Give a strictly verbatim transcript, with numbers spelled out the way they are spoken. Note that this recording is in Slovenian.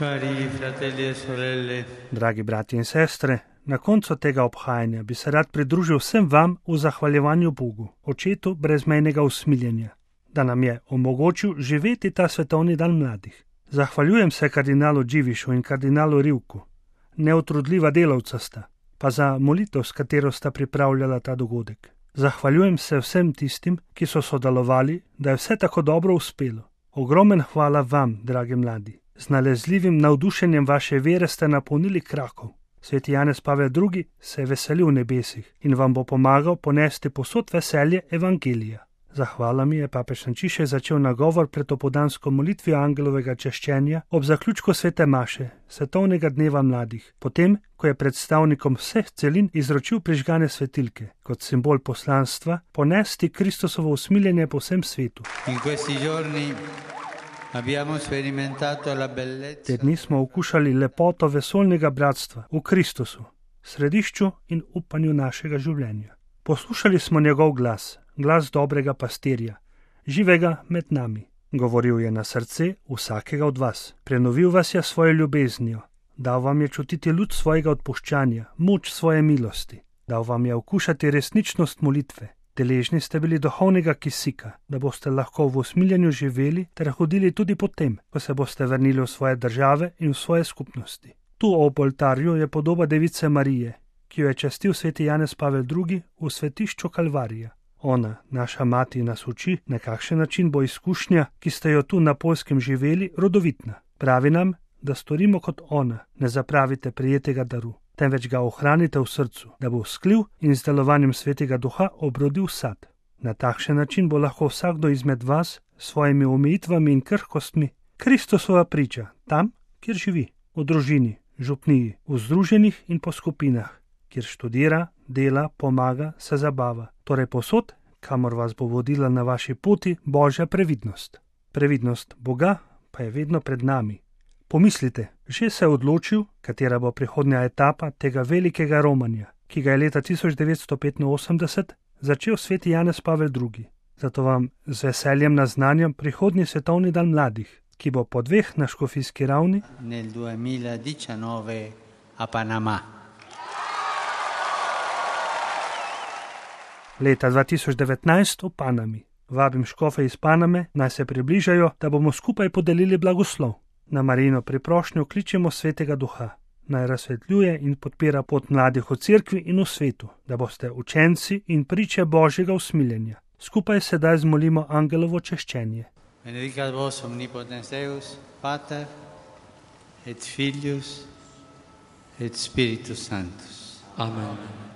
Cari fratelli e sorelle, Dragi brati in sestre, na koncu tega obhajanja bi se rad pridružil vsem vam v zahvaljevanju Bogu, Očetu brezmejnega usmiljenja, da nam je omogočil živeti ta svetovni dan mladih. Zahvaljujem se kardinalu Dživišu in kardinalu Rivku, neutrudljiva delavca sta, pa za molitev, s katero sta pripravljala ta dogodek. Zahvaljujem se vsem tistim, ki so sodelovali, da je vse tako dobro uspelo. Ogromen hvala vam, dragi mladi. Z nalezljivim navdušenjem vaše vere ste napolnili Krakov. Sveti Janez Pavel drugi se je veselil v nebesih in vam bo pomagal ponesti posod veselje evangelija. Zahvala mi je papež Frančišek začel nagovor pred opoldansko molitvijo angelovega češčenja ob zaključku svete maše, svetovnega dneva mladih, potem, ko je predstavnikom vseh celin izročil prižgane svetilke, kot simbol poslanstva, ponesti Kristusovo usmiljenje po vsem svetu. in questi giorni abbiamo sperimentato la Te bellezza dni smo okušali lepoto vesoljnega bratstva v Kristusu, središču in upanju našega življenja. Poslušali smo njegov glas, glas dobrega pastirja, živega med nami. Govoril je na srce vsakega od vas, prenovil vas je svojo ljubeznijo, dal vam je čutiti luč svojega odpuščanja, moč svoje milosti, dal vam je okušati resničnost molitve. Deležni ste bili duhovnega kisika, da boste lahko v usmiljenju živeli ter hodili tudi potem, ko se boste vrnili v svoje države in v svoje skupnosti. Tu ob oltarju je podoba Device Marije, ki jo je častil sveti Janez Pavel drugi v svetišču Kalvarija. Ona, naša mati, nas uči, na kakšen način bo izkušnja, ki ste jo tu na Poljskem živeli, rodovitna. Pravi nam, da storimo kot ona, ne zapravite prijetega daru, temveč ga ohranite v srcu, da bo vzklil in z delovanjem svetega duha obrodil sad. Na takšen način bo lahko vsakdo izmed vas s svojimi omejitvami in krhkostmi Kristusova priča tam, kjer živi, v družini, župniji, v združenih in po skupinah, kjer študira, dela, pomaga, se zabava, torej posod, kamor vas bo vodila na vaši poti Božja previdnost. Previdnost Boga pa je vedno pred nami. Pomislite, že se je odločil, katera bo prihodnja etapa tega velikega romanja, ki ga je leta tisoč devetsto petinosemdeset začel sveti Janez Pavel drugi. Zato vam z veseljem naznanjam prihodnji svetovni dan mladih, ki bo po dveh na škofijski ravni nel duemiladiciannove a Panama. leta dva tisoč devetnajst v Panami. Vabim škofe iz Paname, naj se približajo, da bomo skupaj podelili blagoslov. Na Marijino priprošnjo kličemo svetega duha, naj razsvetljuje in podpira pot mladih v cerkvi in v svetu, da boste učenci in priče Božjega usmiljenja. Skupaj sedaj zmolimo angelovo češčenje. Benedicat vos omnipotens Deus, Pater et Filius et Spiritus Sanctus. Amen.